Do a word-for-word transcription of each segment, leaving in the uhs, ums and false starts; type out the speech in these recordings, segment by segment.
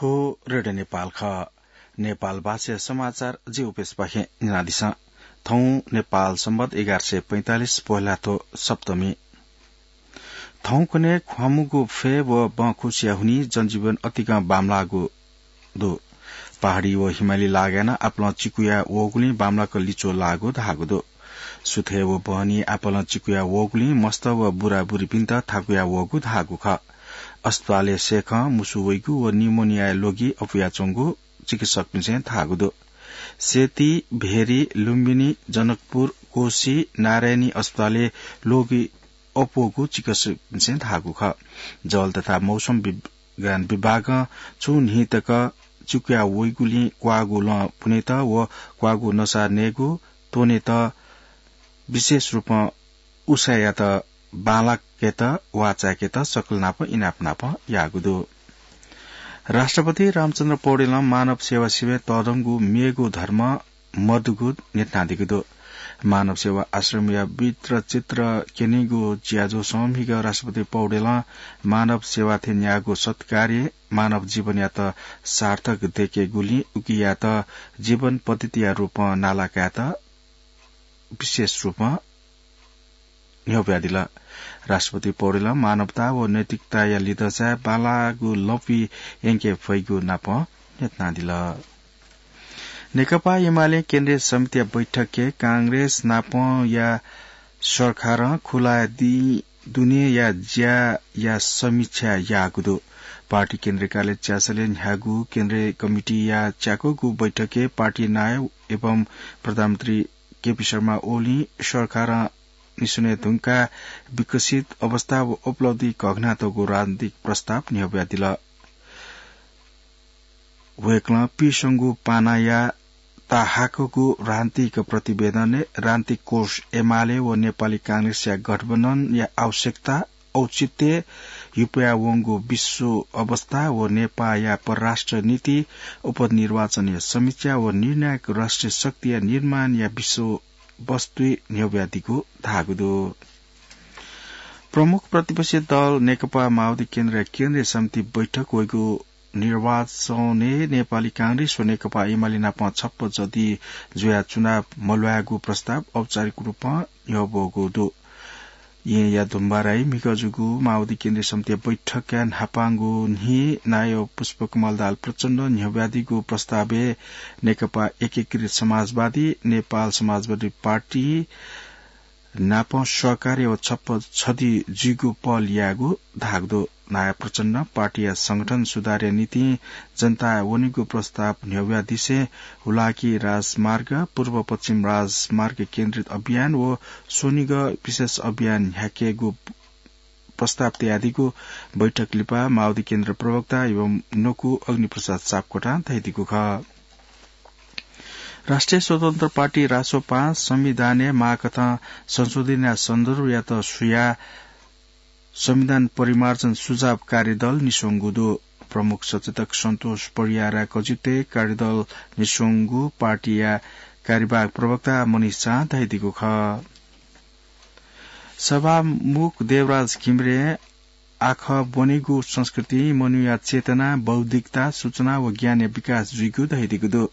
थ्व रेडियो नेपाल खः। नेपाल भाषाया समाचार जि उपेश पाखें न्यनादिसँ। थौं नेपाल सम्बत एघार सय पैंतालिस पोहेलाथ्व सप्तमी। थौंकन्हय् ख्वामुगु फय् व बँखुसिया हुनिं जनजीवन अतिकं बांमलाःगु दु। पहाडी व हिमाली लागाय् नं आपालं चिकुया वःगुलिं बांमलाक लिच्वः लाःगु धाःगु दु। सुथय् व बहनी आपालं चिकुया वःगुलिं मस्त व बुराबुरीपिन्त थाकुया वःगु धाःगु खः। अस्पतालय् सय्‌खं मुसु वइगु व निमोनियाया ल्वगि अपुयाच्वंगु चिकित्सकपिन्सं धाःगु दु। सेती, भेरी, लुम्बिनी, जनकपुर, कोशी, नारायणी अस्पतालय् ल्वगि अप्वःगु चिकित्सकपिन्सं धाःगु खः। जल तथा मौसम विज्ञान विभागं छुं न्हि तक चिकुया वइगुलिं क्वाःगु लँ पुनेत व क्वाःगु नसा नयेगु त्वनेत विशेष रूपं उसाँय्‌यात बांलाकेत वा चाय्‌केत सकल नाप इनाप नाप याःगु दु। राष्ट्रपति रामचन्द्र पौडेलं मानव सेवा सिबें तःधंगु मेगु धर्म मदुगु न्ह्यथनादीगु दु। मानव सेवा आश्रमया वृत्तचित्र क्यनीगु ज्याझ्वलय् म्हिगः राष्ट्रपति पौडेलं मानव सेवा थें न्याःगु सत्कार्यं मानव जीवनयात सार्थक दयेकेगुलिं उकियात जीवन पद्धतिया रूपं नाला कायेत विशेष रूपं न्ह्यब्वयादिल। राष्ट्रपति पौडेलं मानवता व नैतिकताया लिधंचाय् बांलाःगु लँपुइ यंके फइगु नाप न्ह्यथनादिल। नेकपा एमालें केन्द्रीय समितिया बैठकय् कांग्रेस नापंया सरकारं खुलाया दिं दुनेया ज्याया समीक्षा याःगु दु। पार्टी केन्द्रीय कार्यालय च्यासलय् न्ह्याःगु केन्द्रीय कमिटीया च्याकूगु बैठकय् पार्टी नायः एवं प्रधानमन्त्री केपी शर्मा ओलीं सरकारं निस्वने धुंकाः विकसित अवस्था व उपलब्धि घघनातःगु राजनीतिक प्रस्ताव न्ह्यब्वयादिल। वय्‌कलं पिसंगु पानाया ताहाकःगु राजनीतिक प्रतिवेदनय् राजनीतिक कोष एमाले व नेपाली कांग्रेसया गठबन्धनया आवश्यकता, औचित्य, हिप्वयावंगु विश्व अवस्था व नेपाःया परराष्ट्र नीति, उपनिर्वाचनया समीक्षा व निर्णायक राष्ट्रिय शक्तिया निर्माणया विषयवस्तुइ न्ह्यब्वयादीगु धाःगु दु। प्रमुख प्रतिपक्षी दल नेकपा माओवादी केन्द्रया केन्द्रीय समिति बैठक वइगु निर्वाचनय् नेपाली कांग्रेस व नेकपा एमाले नाप छप्पँ छधि जुयाः चुनाव मल्वायेगु प्रस्ताव औपचारिक रूपं न्ह्यब्वःगु दु। येँया धुम्बाराइ म्हिगः जूगु माओवादी केन्द्रीय समितिया बैठकया न्हापांगु न्हि नायः पुष्पकमल दाहाल प्रचण्डं न्ह्यब्वयादीगु प्रस्तावय् नेकपा एकीकृत समाजवादी, नेपाल समाजवादी पार्टी नाप सहकार्य व छप्पँ छधि जुइगु पहल यायेगु धाःगु दु। नायः प्रचण्डं पार्टीया संगठन सुधारया निंतिं जनताय् वनेगु प्रस्ताव न्ह्यब्वयादिसें हुलाकी राजमार्ग, पूर्व पश्चिम राजमार्ग केन्द्रित अभियान व स्वनिगः विशेष अभियान न्ह्याकेगु प्रस्ताव तयादीगु बैठक लिपा माओवादी केन्द्र प्रवक्ता एवं नकु अग्निप्रसाद सापकोटां धयादीगु खः। राष्ट्रिय स्वतन्त्र पार्टी रासोपां संविधानय् माःकथं संशोधनया सन्दर्भयात सुयाः संविधान परिमार्जन सुझाव कार्यदल निस्वंगु दु। प्रमुख सचेतक सन्तोष परियार कजितय् कार्यदल निस्वंगु पार्टीया कार्यवाहक प्रवक्ता मनिष झां धयादीगु खः। सभामुख देवराज घिमिरें आखः ब्वनेगु संस्कृतिं मनूया चेतना, बौद्धिकता, सूचना व ज्ञानया विकास जुइगु धयादीगु दु।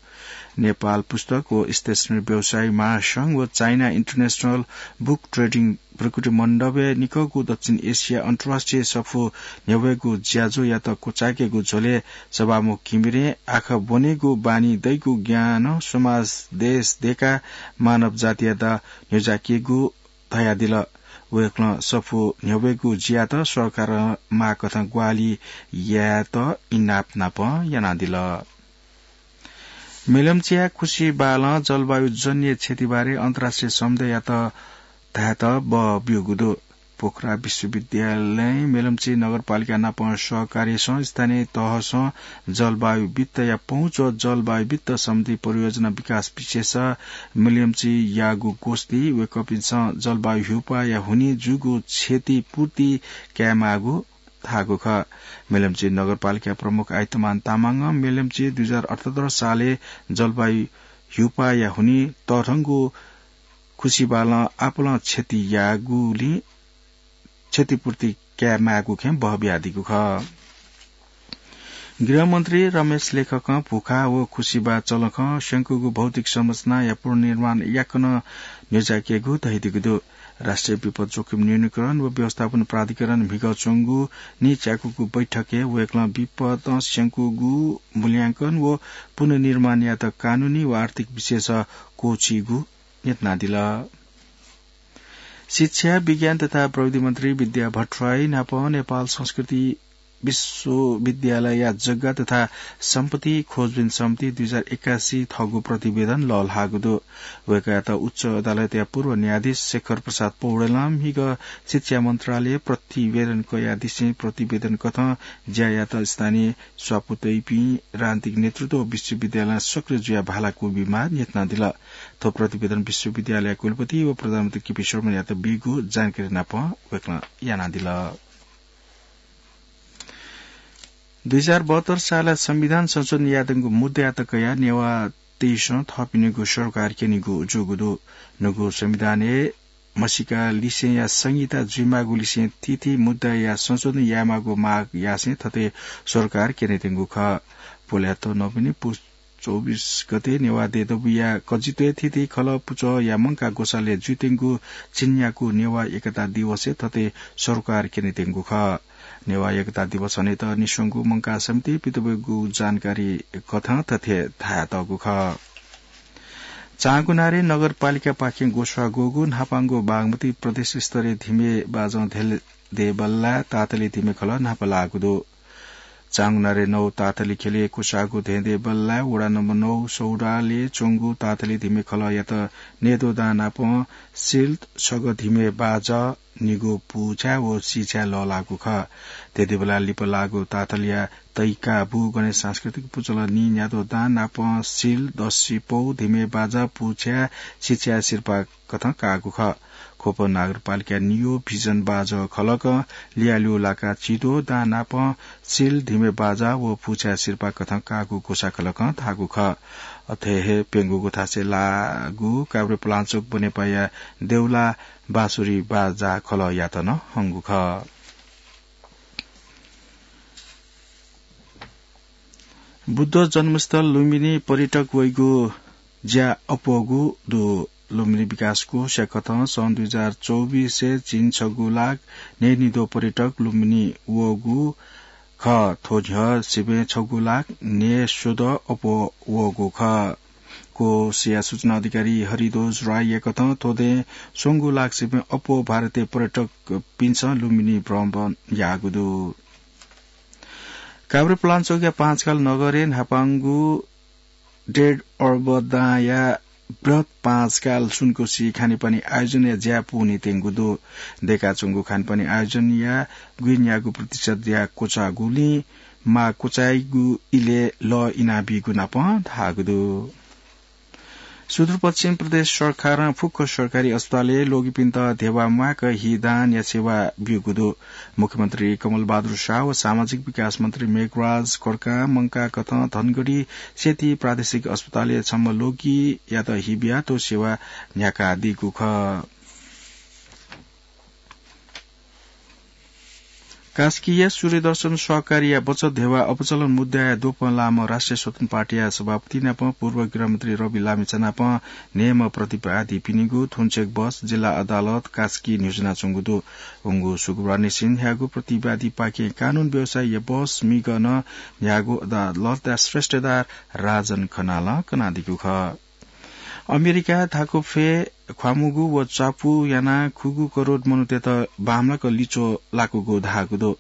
नेपाल पुस्तक व स्टेशनरी व्यवसायी महासंघ व चाइना इन्टरनेशनल बुक ट्रेडिङ भ्रुकुटी मण्डपय् निकःगु दक्षिण एसिया अन्तर्राष्ट्रिय सफू न्ह्यब्वयेगु ज्याझ्वःयात क्वचायेकेगु झ्वलय् सभामुख घिमिरें आखः ब्वनेगु बानी दइगु ज्ञानं समाज, देश, देका, मानव जातियात न्ह्यज्याकेगु धयादिल। वय्कलं सफू न्ह्यब्वयेगु ज्यात सरकारं माःकथं ग्वाहालि यायेत इनाप नाप यानादिल। मेलम्चीया खुसी बालं जलवायु जन्य क्षतिबारे अन्तर्राष्ट्रिय समुदाययात धायेत बः ब्यूगु दु। पोखरा विश्वविद्यालयं मेलम्ची नगरपालिका नाप सहकार्यसं स्थानीय तहसं जलवायु वित्तया पहुँच व जलवायु वित्त सम्बन्धी परियोजना विकास विशेष मेलम्चीयागु गोष्ठी वय्कःपिन्सं जलवायु ह्युपाया हुनिं जूगु क्षतिपूर्ति कायेमाःगु धाःगु खः। मेलम्ची नगरपालिका प्रमुख आइतमान तामाङं मेलम्ची दुई हजार अठहत्तर सालय् जलवायु ह्युपाया हुनिं तःधंगु खुसिबालं आपालं क्षति याःगुलिं क्षतिपूर्ति कायेमाःगु खँय् बः बियादीगु खः। गृहमन्त्री रमेश लेखकं भुखा व खुसिबा चलखं स्यंकूगु भौतिक संरचनाया पुनर्निर्माण याकनं न्ह्यज्याकेगु धयादीगु दु। राष्ट्रिय विपद जोखिम न्यूनीकरण व व्यवस्थापन प्राधिकरण म्हिगः च्वंगु नीच्याकूगु बैठकय् वय्कलं विपदं स्यंकूगु मूल्यांकन व पुनर्निर्माणयात कानूनी व आर्थिक विशेष क्वःछीगु न्ह्यथनादिल। शिक्षा, विज्ञान तथा प्रविधि मन्त्री विद्या भट्टराई नाप नेपाल संस्कृति विश्वविद्यालयया जग्गा तथा सम्पत्ति खोजबिन समिति दुई हजार एकासी थःगु प्रतिवेदन लःल्हाःगु दु। वय्कःयात उच्च अदालतया पूर्व न्यायाधीश शेखर प्रसाद पौडेलं म्हिगः शिक्षा मन्त्रालय प्रतिवेदन कयादिसें प्रतिवेदन कथं ज्या यात स्थानीय स्वापू तइपिं राजनीतिक नेतृत्व व विश्वविद्यालयं सक्रिय जुयाः भाला क्वबिमाः न्ह्यथनादिल। थ्व प्रतिवेदन विश्वविद्यालय कुलपति व प्रधानमन्त्री केपी शर्मायात बीगु जानकारी नाप वय्कलं यानादिल। दुई हजार बहत्तर सालय् संविधान संशोधन यायेधुंगु मुद्दायात कयाः नेवाःतय्सं थःपिनिगु सरकार क्यनीगु जूगु दु। न्हूगु संविधानय् म्हसीका लिसेंया संहिता जुइमाःगु लिसें थीथी मुद्दाया संशोधन यायेमाःगु माग यासें थथे सरकार क्यनेत्यंगु खः। पोल्यात नवमी पुस चौबिस गते नेवाः देय् दबूया कजित्वय् थीथी खलः पुचःया मंकाः ग्वसालय् जुइत्यंगु झिंन्यागू नेवाः एकता दिवसय् थथे सरकार क्यनेत्यंगु खः। नेवाः एकता दिवस हनेत निस्वंगु मंकाः समितिं पित ब्यूगु जानकारी कथं थथे धायेतःगु खः। चाँगुनारे नगरपालिकापाखें ग्वसाः ग्वःगु न्हापांगु बागमती प्रदेश स्तरीय धिमे बाजं धेंधेंबल्लाय् तातली धिमे खलः न्हापा लाःगु दु। चाँगुनारे नौ तातली ख्यलय् क्वसाःगु धेंधेंबल्लाय् वडा नम्बर नौ सौडालय् च्वंगु तातली धिमे खलःयात न्यद्वः दां नापं सिल, छगः धिमे बाजं, निगू पुछाय् व सिछाय् लःल्हाःगु खः। धेंधेंबल्लाय् लिपा लाःगु तातलीया तइका बू गणेश सांस्कृतिक पुचलं निं न्याद्वः दां नापं सिल, दसि पौ, धिमे बाजं, पुछाय्, सिछाय् सिरपाः कथं काःगु खः। ख्वप नगरपालिकां नियो भिजन बाजं खलकं लियाल्यू लाकाः चिद्वः दां नापं सिल, धिमे बाजं व पुछाय् सिरपाः कथं काःगु ग्वसाः खलकं धाःगु खः। अथे हे प्यंगू ग्वसालय् लाःगु काभ्रे पलाञ्चोक बनेपाया देउला बाँसुरी बाजा खलःयात नं हंगु खः। बुद्ध जन्मस्थल लुम्बिनी पर्यटक वइगु ज्या अप्वःगु दु। लुम्बिनी विकास कोषया कथं सन् दुई हजार चौबिसय् झिंछगू लाख न्हय्निद्वः पर्यटक लुम्बिनी वःगु खः। थ्व न्ह्यः सिबें छगू लाख न्हय्स्वदँ अप्वः वःगु खः। कोषया सूचना अधिकारी हरिध्वज राईया कथं थ्व दँय् स्वंगू लाख सिबें अप्वः भारतीय पर्यटकपिन्सं लुम्बिनी भ्रमण याःगु दु। काभ्रे पलाञ्चोकया पाँचकाल नगरय् न्हापांगु डेढ अर्ब दांया बृहत् पाँचकाल सुनकोशी खानेपानी आयोजनया ज्या पूवनीत्यंगु दु। दय्काच्वंगु खानेपानी आयोजनया गुइन्यागू प्रतिशत ज्या क्वचाःगुलिं माः क्वचाइगु इलय् लः इनाबीगु नापं धाःगु दु। सुदूरपश्चिम प्रदेश सरकारं फुक्क सरकारी अस्पतालय् ल्वगिपिन्त धेबा म्वाय्क हि दानया सेवा ब्यूगु दु। मुख्यमन्त्री कमल बहादुर शाह व सामाजिक विकास मन्त्री मेघराज खड्कां मंकाः कथं धनगढी सेती प्रादेशिक अस्पतालय् छम्ह ल्वगियात हि बियाः थ्व सेवा न्ह्याकादीगु खः। कास्कीया सूर्यदर्शन सहकारीया बचत धेबा अपचलन मुद्दाया द्वपं लाःम्ह राष्ट्रिय स्वतन्त्र पार्टीया सभापति नापं पूर्व गृहमन्त्री रवि लामिछां नापं न्हय्म्ह प्रतिवादीपिनिगु थुन्चेक बस जिल्ला अदालत कास्की न्ह्यज्वनाच्वंगु दु। वंगु शुक्रबारनिसें न्ह्याःगु प्रतिवादीपाखें कानून व्यवसायीया बस म्हिगः नं न्ह्याःगु अदालतया श्रेष्ठदार राजन खनालं कनादीगु खः। अमेरिकाय् धाकुफ्वय् ख्वाःमूगु व च्वापू यानाः खुगू करोड मनूतय्त बांमलाक लिच्वः लाकूगु धाःगु दु।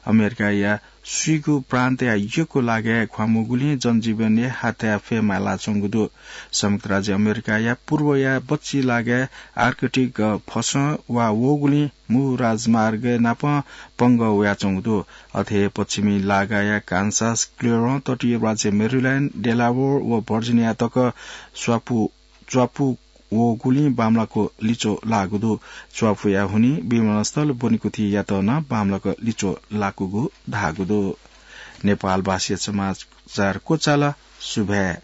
अमेरिकाया स्वीगू प्रान्तया यक्व लागाय् ख्वाःमूगुलिं जनजीवनय् हाथ्याः फय् मालाच्वंगु दु। संयुक्त राज्य अमेरिकाया पूर्वया बच्छि लागाय् आर्कटिक फसं वा वःगुलिं मू राजमार्गय् नापं पंगः वयाच्वंगु दु। अथे हे पश्चिमी लागाया कान्सास, क्लेरं, तटीय राज्य मेरील्याण्ड, डेलावेयर व भर्जिनिया तक स्वापू, च्वापू वःगुलिं बांमलाक लिच्वः लाःगु दु। च्वापूया हुनिं विमानस्थल ब्वनेकुथियात नं बांमलाक लिच्वः लाकूगु धाःगु दु। नेपालभाषी समाचार क्वचाल। सुभाय्।